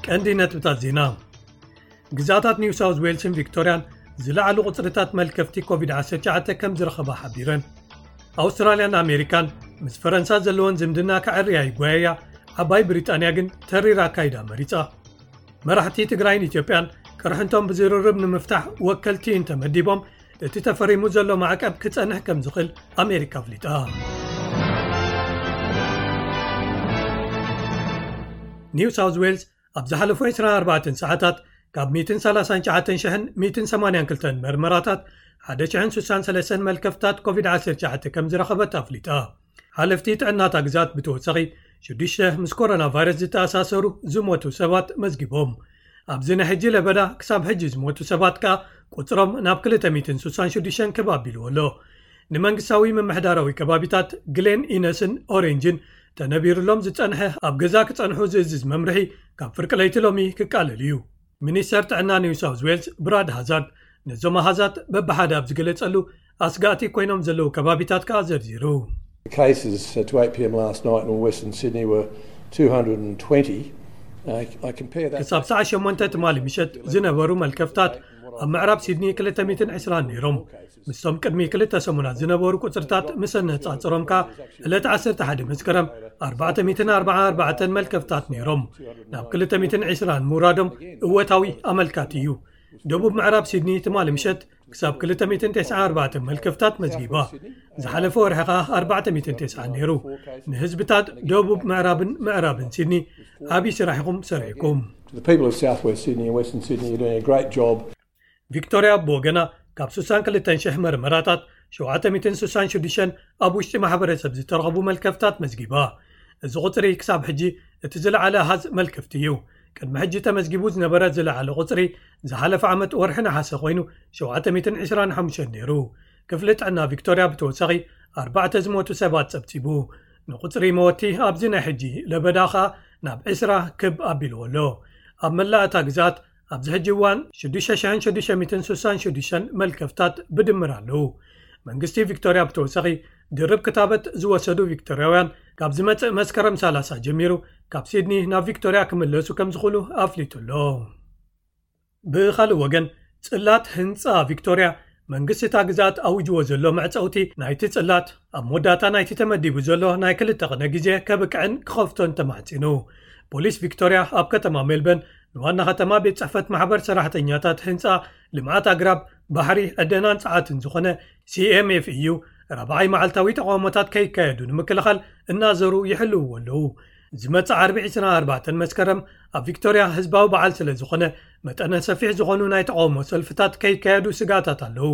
ቀንዲ ነጥብታት ዜና። ግዛታት ኒው ሳውዝ ዌልስን ቪክቶርያን ዝለዓሉ ቁጽርታት መልከፍቲ ኮቪድ ዓሰርተ ትሽዓተ ከም ዝረኸባ ሓቢረን። ኣውስትራልያን ኣሜሪካን ምስ ፈረንሳ ዘለወን ዝምድና ከዐርያ ይጓየያ፣ ዓባይ ብሪጣንያ ግን ተሪር ኣካይዳ መሪጻ። መራሕቲ ትግራይን ኢትዮጵያን ቅርሕንቶም ብዝርርብ ንምፍታሕ ወከልቲ እንተመዲቦም፣ እቲ ተፈሪሙ ዘሎ ማዕቀብ ክጸንሕ ከም ዝኽእል ኣሜሪካ ኣፍሊጣ። ኒው ሳውዝ ዌልስ ኣብ ዝሓለፉ ዕስራን ኣርባዕተን ሰዓታት ካብ ሚእትን ሰላሳን ትሽዓተን ሽሕን ሚእትን ሰማንያን ክልተን መርመራታት ሓደ ሽሕን ስሳን ሰለስተን መልከፍታት ኮቪድ ዓሰርተ ትሽዓተ ከም ዝረኸበት ኣፍሊጣ። ሓለፍቲ ጥዕናታ ግዛት ብተወሳኺ ሽዱሽተ ምስ ኮሮና ቫይረስ ዝተኣሳሰሩ ዝሞቱ ሰባት መዝጊቦም። ኣብዚ ናይ ሕጂ ለበዳ ክሳብ ሕጂ ዝሞቱ ሰባት ከኣ ቁጽሮም ናብ ክልተ ሚእትን ስሳን ሽዱሽተን ክብ ኣቢልዎ ኣሎ። ንመንግስታዊ ምምሕዳራዊ ከባቢታት ግሌን ኢነስን ኦሬንጅን ተነቢሩሎም ዝጸንሐ ኣብ ገዛ ክጸንሑ ዝእዝዝ መምርሒ ካብ ፍርቂ ለይቲ ሎሚ ክቃለል እዩ። ሚኒስተር ጥዕና ኒው ሳውዝ ዌልስ ብራድ ሃዛርድ ነዞም ኣሃዛት በብሓደ ኣብ ዝገለጸሉ ኣስጋእቲ ኮይኖም ዘለዉ ከባቢታት ከኣ ዘርዚሩ። The cases to eight p.m. last night in Western Sydney were two hundred and twenty. I, I compare that. ክሳብ ሰዓት ሸሞንተ ትማሊ ምሸት ዝነበሩ መልከፍታት ኣብ ምዕራብ ሲድኒ ክልተ ሚእትን ዕስራን ነይሮም። ምስቶም ቅድሚ ክልተ ሰሙናት ዝነበሩ ቁጽርታት ምስ ኣነጻጽሮም ከኣ ዕለት ዓሰርተ ሓደ መስከረም ኣርባዕተ ሚእትን ኣርባዓን ኣርባዕተን መልከፍታት ነይሮም። ናብ ክልተ ሚእትን ዕስራን ምውራዶም እወታዊ ኣመልካቲ እዩ። ደቡብ ምዕራብ ሲድኒ ትማሊ ምሸት ክሳብ ክልተ ሚእትን ተስዓን ኣርባዕተን መልከፍታት መዝጊባ። ዝሓለፈ ወርሒ ከኣ ኣርባዕተ ሚእትን ተስዓን ነይሩ። ንህዝብታት ደቡብ ምዕራብን ምዕራብን ሲድኒ ዓቢ ስራሕ ኢኹም ሰሪሕኩም። To the people of South West Sydney and Western Sydney, you're doing a great job. ቪክቶርያ ብወገና ካብ ስሳን ክልተን ሽሕ መርመራታት ሸውዓተ ሚእትን ስሳን ሽዱሽተን ኣብ ውሽጢ ማሕበረሰብ ዝተረኸቡ መልከፍታት መዝጊባ። እዚ ቁጽሪ ክሳብ ሕጂ እቲ ዝለዓለ ኣሃዝ መልከፍቲ እዩ። ቅድሚ ሕጂ ተመዝጊቡ ዝነበረ ዝለዓለ ቁጽሪ ዝሓለፈ ዓመት ወርሒ ነሓሰ ኮይኑ ሸውዓተ ሚእትን ዕስራን ሓሙሽተን ነይሩ። ክፍሊ ጥዕና ቪክቶርያ ብተወሳኺ ኣርባዕተ ዝሞቱ ሰባት ጸብጺቡ። ንቁጽሪ መወቲ ኣብዚ ናይ ሕጂ ለበዳ ኸኣ ናብ ዕስራ ክብ ኣቢልዎ ኣሎ። ኣብ መላእ እታ ግዝኣት ኣብዚ ሕጂ እዋን ሽዱሽተ ሽሕን ሽዱሽተ ሚእትን ስሳን ሽዱሽተን መልከፍታት ብድምር ኣለዉ። መንግስቲ ቪክቶርያ ብተወሳኺ ድርብ ክታበት ዝወሰዱ ቪክቶርያውያን ካብ ዝመጽእ መስከረም ሰላሳ ጀሚሩ ካብ ሲድኒ ናብ ቪክቶርያ ክምለሱ ከም ዝኽእሉ ኣፍሊጡ ኣሎ። ብኻልእ ወገን ጽላት ህንጻ ቪክቶርያ መንግስቲ እታ ግዝኣት ኣዊጅዎ ዘሎ መዕጸውቲ ናይቲ ጽላት ኣብ መወዳእታ ናይቲ ተመዲቡ ዘሎ ናይ ክልተ ቅነ ግዜ ከብቅዕን ክኸፍቶን ተማሕጺኑ። ፖሊስ ቪክቶርያ ኣብ ከተማ ሜልበርን ንዋና ከተማ ቤት ጽሕፈት ማሕበር ሰራሕተኛታት ህንጻ ልምዓት ኣግራብ ባሕሪ ዕደናን ጸዓትን ዝኾነ CMFEU ራብዓይ መዓልታዊ ተቓውሞታት ከይካየዱ ንምክልኻል እናዘሩ ይሕልውዎ ኣለዉ። ዝመጽእ ዓርቢ ዕስራን ኣርባዕተን መስከረም ኣብ ቪክቶርያ ህዝባዊ በዓል ስለ ዝኾነ መጠነ ሰፊሕ ዝኾኑ ናይ ተቓውሞ ሰልፍታት ከይካየዱ ስግኣታት ኣለዉ።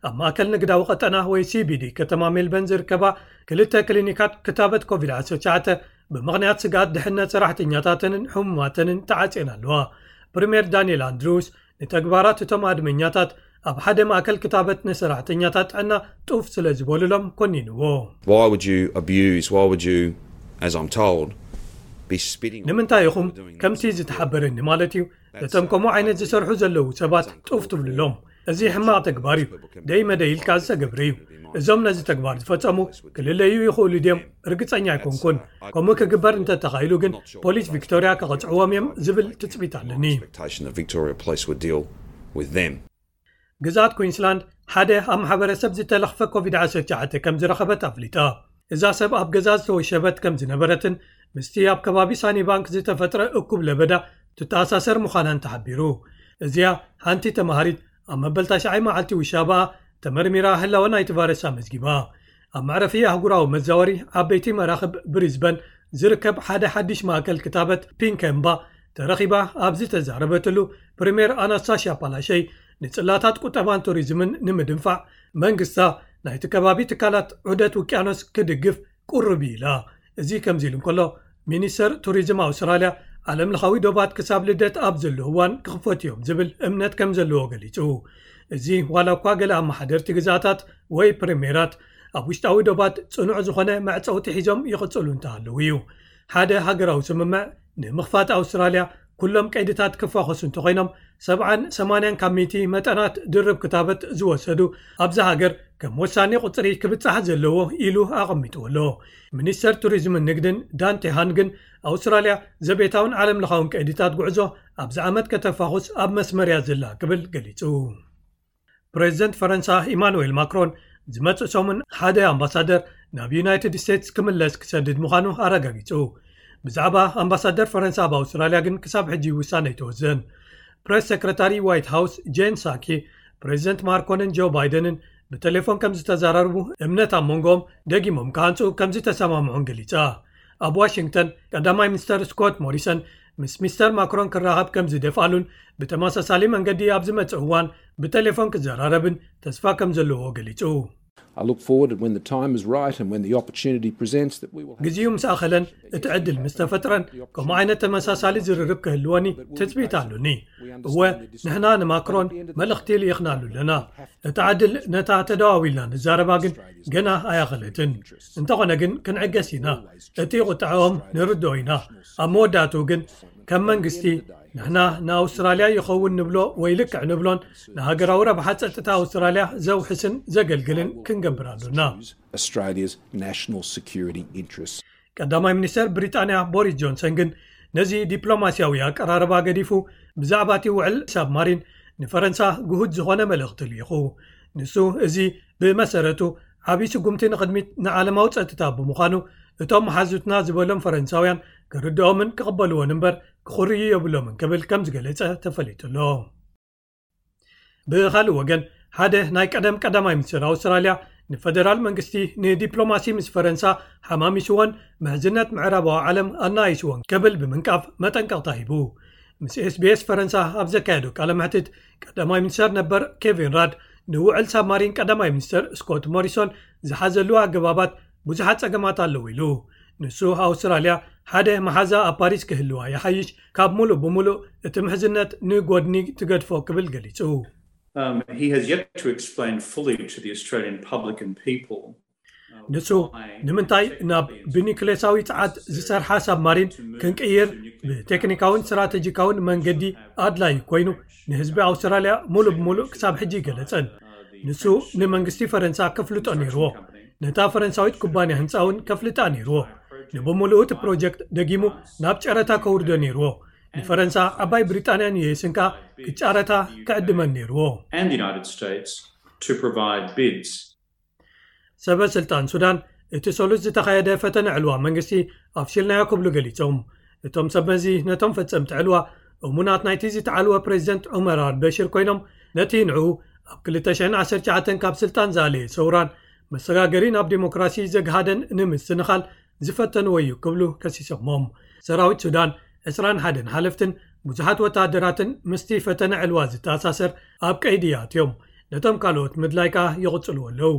ኣብ ማእከል ንግዳዊ ቀጠና ወይ CBD ከተማ ሜልበርን ዝርከባ ክልተ ክሊኒካት ክታበት ኮቪድ ዓሰርተ ትሽዓተ ብምኽንያት ስግኣት ድሕነት ሰራሕተኛታተንን ሕሙማተንን ተዓጽየን ኣለዋ። ፕሪምየር ዳንኤል ኣንድሩስ ንተግባራት እቶም ኣድመኛታት ኣብ ሓደ ማእከል ክታበት ንሰራሕተኛታት ጥዕና ጡፍ ስለ ዝበሉሎም ኮኒንዎ። Why would you abuse? Why would you, as I'm told, be spitting on ንምንታይ ኢኹም doing ከምቲ this? ዝተሓበረኒ ማለት እዩ ነቶም ከምኡ ዓይነት ዝሰርሑ ዘለዉ ሰባት ጡፍ ትብልሎም? እዚ ሕማቕ ተግባር እዩ። ደይ መደይ ኢልካ ዝተገብረ እዩ። እዞም ነዚ ተግባር ዝፈጸሙ ክልለዩ ይኽእሉ ድዮም? ርግጸኛ ኣይኮንኩን። ከምኡ ክግበር እንተተኻኢሉ ግን ፖሊስ ቪክቶርያ ክቐጽዕዎም እዮም ዝብል ትጽቢት ኣለኒ። Expectation that Victoria Police would deal with them. ግዝኣት ኩዊንስላንድ ሓደ ኣብ ማሕበረሰብ ዝተለኽፈ ኮቪድ ዓሰርተ ትሽዓተ ከም ዝረኸበት ኣፍሊጣ። እዛ ሰብ ኣብ ገዛ ዝተወሸበት ከም ዝነበረትን ምስቲ ኣብ ከባቢ ሳኒ ባንክ ዝተፈጥረ እኩብ ለበዳ ትተኣሳሰር ምዃናን ተሓቢሩ። እዚኣ ሓንቲ ተማሃሪት ኣብ መበል ታሽዓይ መዓልቲ ውሻባኣ ተመርሚራ ህላወ ናይቲ ቫይረስ ኣመዝጊባ። ኣብ መዕረፊ ኣህጉራዊ መዛወሪ ዓበይቲ መራኽብ ብሪዝበን ዝርከብ ሓደ ሓድሽ ማእከል ክታበት ፒንከምባ ተረኺባ ኣብ ዝተዛረበትሉ ፕሪምየር ኣናስታሽያ ፓላሸይ ንጽላታት ቁጠባን ቱሪዝምን ንምድንፋዕ መንግስታ ናይቲ ከባቢ ትካላት ዑደት ውቅያኖስ ክድግፍ ቁሩብ ኢላ። እዚ ከምዚ ኢሉ እንከሎ ሚኒስተር ቱሪዝም ኣውስትራልያ ዓለምለኻዊ ዶባት ክሳብ ልደት ኣብ ዘሎ እዋን ክኽፈቱ እዮም ዝብል እምነት ከም ዘለዎ ገሊጹ። እዚ ዋላ እኳ ገለ ኣመሓደርቲ ግዛታት ወይ ፕሪምየራት ኣብ ውሽጣዊ ዶባት ጽኑዕ ዝኾነ መዕጸውቲ ሒዞም ይቕጽሉ እንተሃለዉ እዩ። ሓደ ሃገራዊ ስምምዕ ንምኽፋት ኣውስትራልያ ኩሎም ቀይድታት ክፋኾሱ እንተኾይኖም፣ ሰብዓን ሰማንያን ካብ ሚእቲ መጠናት ድርብ ክታበት ዝወሰዱ ኣብዛ ሃገር ከም ወሳኒ ቁጽሪ ክብጻሕ ዘለዎ ኢሉ ኣቐሚጥዎ ኣሎ። ሚኒስተር ቱሪዝምን ንግድን ዳንቴ ሃን ግን ኣውስትራልያ ዘቤታውን ዓለም ለኻውን ቀይድታት ጉዕዞ ኣብዚ ዓመት ከተፋኹስ ኣብ መስመር እያ ዘላ ክብል ገሊጹ። ፕሬዚደንት ፈረንሳ ኢማኑኤል ማክሮን ዝመጽእ ሰሙን ሓደ ኣምባሳደር ናብ ዩናይትድ ስቴትስ ክምለስ ክሰድድ ምዃኑ ኣረጋጊጹ። ብዛዕባ ኣምባሳደር ፈረንሳ ኣብ ኣውስትራልያ ግን ክሳብ ሕጂ ውሳነ ኣይተወስደን። ፕሬስ ሴክረታሪ ዋይት ሃውስ ጄን ሳኪ ፕሬዚደንት ማክሮንን ጆ ባይደንን ብቴሌፎን ከም ዝተዘራረቡ እምነት ኣብ መንጎኦም ደጊሞም ክሃንጹ ከም ዝተሰማምዑን ገሊጻ። ኣብ ዋሽንግተን ቀዳማይ ሚኒስተር ስኮት ሞሪሰን ምስ ሚስተር ማክሮን ክራኸብ ከም ዝደፍኣሉን ብተመሳሳሊ መንገዲ ኣብ ዝመጽእ እዋን ብቴሌፎን ክዘራረብን ተስፋ ከም ዘለዎ ገሊጹ። I look forward, and when the time is right and when the opportunity presents, that we will have ግዜኡ ምስ ኣኸለን እቲ ዕድል ምስ ተፈጥረን ከምኡ ዓይነት ተመሳሳሊ ዝርርብ ክህልወኒ ትጽቢት ኣሉኒ። እወ፣ ንሕና ንማክሮን መልእኽቲ ልኢኽናሉ ኣለና። እታ ዕድል ነታ ተደዋዊልና ንዛረባ ግን ገና ኣያኸለትን። እንተኾነ ግን ክንዕገስ ኢና። እቲ ቁጥዐኦም ንርድኦ ኢና። ኣብ መወዳእትኡ ግን ከም መንግስቲ ንሕና ንኣውስትራልያ ይኸውን ንብሎ ወይ ልክዕ ንብሎን ንሃገራዊ ረብሓ ጸጥታ ኣውስትራልያ ዘውሕስን ዘገልግልን ክንገብር ኣሉና። Australia's national security interests. ቀዳማይ ሚኒስተር ብሪጣንያ ቦሪስ ጆንሰን ግን ነዚ ዲፕሎማስያዊ ኣቀራርባ ገዲፉ ብዛዕባ እቲ ውዕል ሳብማሪን ንፈረንሳ ግሁድ ዝኾነ መልእኽቲ ልኢኹ። ንሱ እዚ ብመሰረቱ ዓብዪ ስጉምቲ ንቕድሚት ንዓለማዊ ጸጥታ ብምዃኑ እቶም መሓዙትና ዝበሎም ፈረንሳውያን ክርድኦምን ክቕበልዎን እምበር ክኹርዩ የብሎምን ክብል ከም ዝገለጸ ተፈሊጡ ኣሎ። ብኻልእ ወገን ሓደ ናይ ቀደም ቀዳማይ ሚኒስትር ኣውስትራልያ ንፈደራል መንግስቲ ንዲፕሎማሲ ምስ ፈረንሳ ሓማሚስዎን ምሕዝነት ምዕራባዊ ዓለም ኣናይስዎን ክብል ብምንቃፍ መጠንቀቕታ ሂቡ። ምስ ኤስቢኤስ ፈረንሳ ኣብ ዘካየዶ ቃለ መሕትት ቀዳማይ ሚኒስተር ነበር ኬቪን ራድ ንውዕል ሳብማሪን ቀዳማይ ሚኒስተር ስኮት ሞሪሶን ዝሓዘሉ ኣገባባት ብዙሓት ጸገማት ኣለዉ ኢሉ። ንሱ ኣውስትራልያ ሓደ መሓዛ ኣብ ፓሪስ ክህልዋ ይሓይሽ፣ ካብ ሙሉእ ብሙሉእ እቲ ምሕዝነት ንጎድኒ ትገድፎ ክብል ገሊጹ። Um, he has yet to explain fully to the Australian public and people. ንሱ ንምንታይ ናብ ብኒክሌሳዊ ጸዓት ዝሰርሓ ሳብማሪን ክንቅይር ብቴክኒካውን ስትራቴጂካውን መንገዲ ኣድላዪ ኮይኑ ንህዝቢ ኣውስትራልያ ሙሉእ ብሙሉእ ክሳብ ሕጂ ይገለጸን። ንሱ ንመንግስቲ ፈረንሳ ከፍልጦ ነይርዎ። ነታ ፈረንሳዊት ኩባንያ ህንጻ እውን ከፍልጣ ነይርዎ። ንብምሉኡ እቲ ፕሮጀክት ደጊሙ ናብ ጨረታ ከውርዶ ነይርዎ። ንፈረንሳ፣ ዓባይ ብሪጣንያን ዩኤስን ከኣ ክጫረታ ክዕድመን ነይርዎ። And the United States to provide bids. ሰበ ስልጣን ሱዳን እቲ ሰሉስ ዝተኻየደ ፈተነ ዕልዋ መንግስቲ ኣፍሽልናዮ ክብሉ ገሊጾም። እቶም ሰብ መዚ ነቶም ፈጸምቲ ዕልዋ እሙናት ናይቲ ዝተዓልወ ፕሬዚደንት ዑመር ኣልበሽር ኮይኖም ነቲ ንዕኡ ኣብ ክልተ ሽሕን ዓሰርተ ትሽዓተን ካብ ስልጣን ዝኣለየ ሰውራን መሰጋገሪ ናብ ዲሞክራሲ ዘግሃደን ንምስንኻል ዝፈተንዎ እዩ ክብሉ ከሲሶሞም። ሰራዊት ሱዳን ዕስራን ሓደን ሓለፍትን ብዙሓት ወተሃደራትን ምስቲ ፈተነ ዕልዋ ዝተኣሳሰር ኣብ ቀይዲ ኣትዮም። ነቶም ካልኦት ምድላይ ከኣ ይቕጽልዎ ኣለዉ።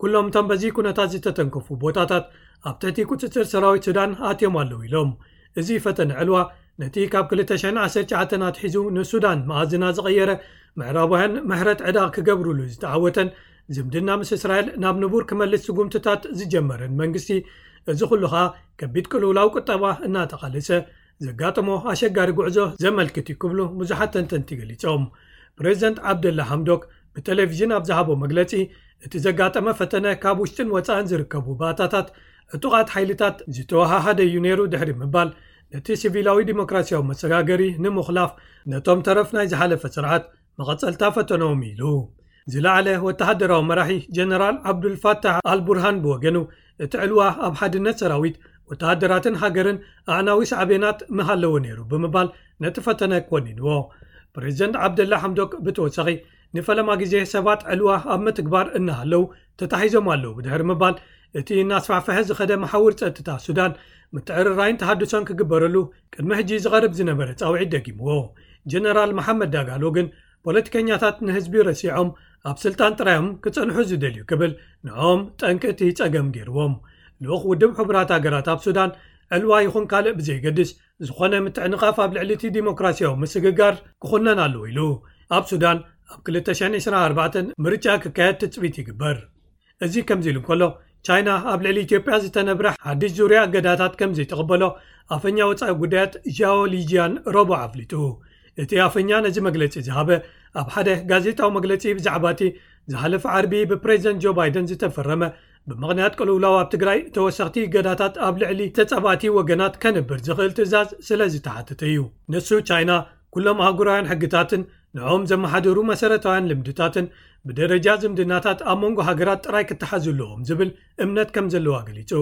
ኩሎም እቶም በዚ ኩነታት ዝተተንከፉ ቦታታት ኣብ ትሕቲ ቁጽጽር ሰራዊት ሱዳን ኣትዮም ኣለዉ ኢሎም። እዚ ፈተነ ዕልዋ ነቲ ካብ ክልተ ሽሕን ዓሰርተ ትሽዓተን ኣትሒዙ ንሱዳን መኣዝና ዝቐየረ፣ ምዕራባውያን ምሕረት ዕዳ ክገብሩሉ ዝተዓወተን ዝምድና ምስ እስራኤል ናብ ንቡር ክመልስ ስጉምትታት ዝጀመረን መንግስቲ እዚ ኩሉ ኸኣ ከቢድ ቅልውላው ቁጠባ እናተቓለሰ ዘጋጠሞ ኣሸጋሪ ጉዕዞ ዘመልክት እዩ ክብሉ ብዙሓት ተንተንቲ ገሊጾም። ፕሬዚደንት ዓብደላ ሓምዶክ ብቴሌቪዥን ኣብ ዝሃቦ መግለጺ እቲ ዘጋጠመ ፈተነ ካብ ውሽጥን ወጻእን ዝርከቡ ባእታታት ዕጡቓት ሓይልታት ዝተወሃሃደ እዩ ነይሩ ድሕሪ ምባል ነቲ ሲቪላዊ ዲሞክራሲያዊ መሰጋገሪ ንምኹላፍ ነቶም ተረፍ ናይ ዝሓለፈ ስርዓት መቐጸልታ ፈተነኦም ኢሉ። ዝለዓለ ወተሃደራዊ መራሒ ጀነራል ዓብዱልፋታሕ ኣልቡርሃን ብወገኑ እቲ ዕልዋ ኣብ ሓድነት ሰራዊት ወተሃደራትን ሃገርን ኣዕናዊ ሳዕቤናት ምሃለዎ ነይሩ ብምባል ነቲ ፈተነ ኮኒንዎ። ፕሬዚደንት ዓብደላ ሓምዶክ ብተወሳኺ ንፈለማ ግዜ ሰባት ዕልዋ ኣብ ምትግባር እናሃለዉ ተታሒዞም ኣለዉ ብድሕሪ ምባል እቲ እናስፋሕፈሐ ዝኸደ መሓውር ጸጥታ ሱዳን ምትዕርራይን ተሃድሶን ክግበረሉ ቅድሚ ሕጂ ዝቐርብ ዝነበረ ጻውዒት ደጊምዎ። ጀነራል መሓመድ ዳጋሎ ግን ፖለቲከኛታት ንህዝቢ ረሲዖም ኣብ ስልጣን ጥራዮም ክጸንሑ ዝደልዩ ክብል ንዕኦም ጠንቂ እቲ ጸገም ገይርዎም። ልኡኽ ውድብ ሕቡራት ሃገራት ኣብ ሱዳን ዕልዋ ይኹን ካልእ ብዘይገድስ ዝኾነ ምትዕንቓፍ ኣብ ልዕሊ እቲ ዲሞክራሲያዊ ምስግጋር ክኹነን ኣለዎ ኢሉ። ኣብ ሱዳን ኣብ ክልተ ሽሕን ዕስራን ኣርባዕተን ምርጫ ክካየድ ትጽቢት ይግበር። እዚ ከምዚ ኢሉ እንከሎ ቻይና ኣብ ልዕሊ ኢትዮጵያ ዝተነብረ ሓድሽ ዙርያ እገዳታት ከም ዘይተቐበሎ ኣፈኛ ወጻኢ ጉዳያት ዣኦ ሊጂያን ረቡዕ ኣፍሊጡ። እቲ ኣፈኛ ነዚ መግለጺ ዝሃበ ኣብ ሓደ ጋዜጣዊ መግለጺ ብዛዕባ እቲ ዝሓለፈ ዓርቢ ብፕሬዚደንት ጆ ባይደን ዝተፈረመ ብምኽንያት ቅልውላው ኣብ ትግራይ ተወሰኽቲ እገዳታት ኣብ ልዕሊ ተጻባእቲ ወገናት ከንብር ዝኽእል ትእዛዝ ስለ ዝተሓተተ እዩ። ንሱ ቻይና ኩሎም ኣህጉራውያን ሕግታትን ንዕኦም ዘመሓድሩ መሰረታውያን ልምድታትን ብደረጃ ዝምድናታት ኣብ መንጎ ሃገራት ጥራይ ክተሓዙ ኣለዎም ዝብል እምነት ከም ዘለዋ ገሊጹ።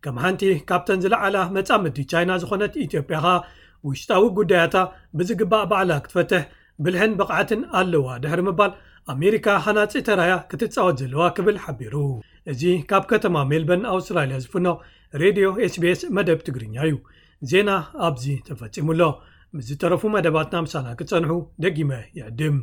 ከም ሓንቲ ካብተን ዝለዓላ መጻምድቲ ቻይና ዝኾነት ኢትዮጵያ ኸኣ ውሽጣዊ ጉዳያታ ብዝግባእ ባዕላ ክትፈትሕ ብልሕን ብቕዓትን ኣለዋ ድሕሪ ምባል ኣሜሪካ ሃናጺ ተራያ ክትጻወት ዘለዋ ክብል ሓቢሩ። እዚ ካብ ከተማ ሜልበርን ኣውስትራልያ ዝፍኖ ሬድዮ ኤስቢኤስ መደብ ትግርኛ እዩ። ዜና ኣብዚ ተፈጺሙ ኣሎ። ምስ ዝተረፉ መደባትና ምሳና ክጸንሑ ደጊመ ይዕድም።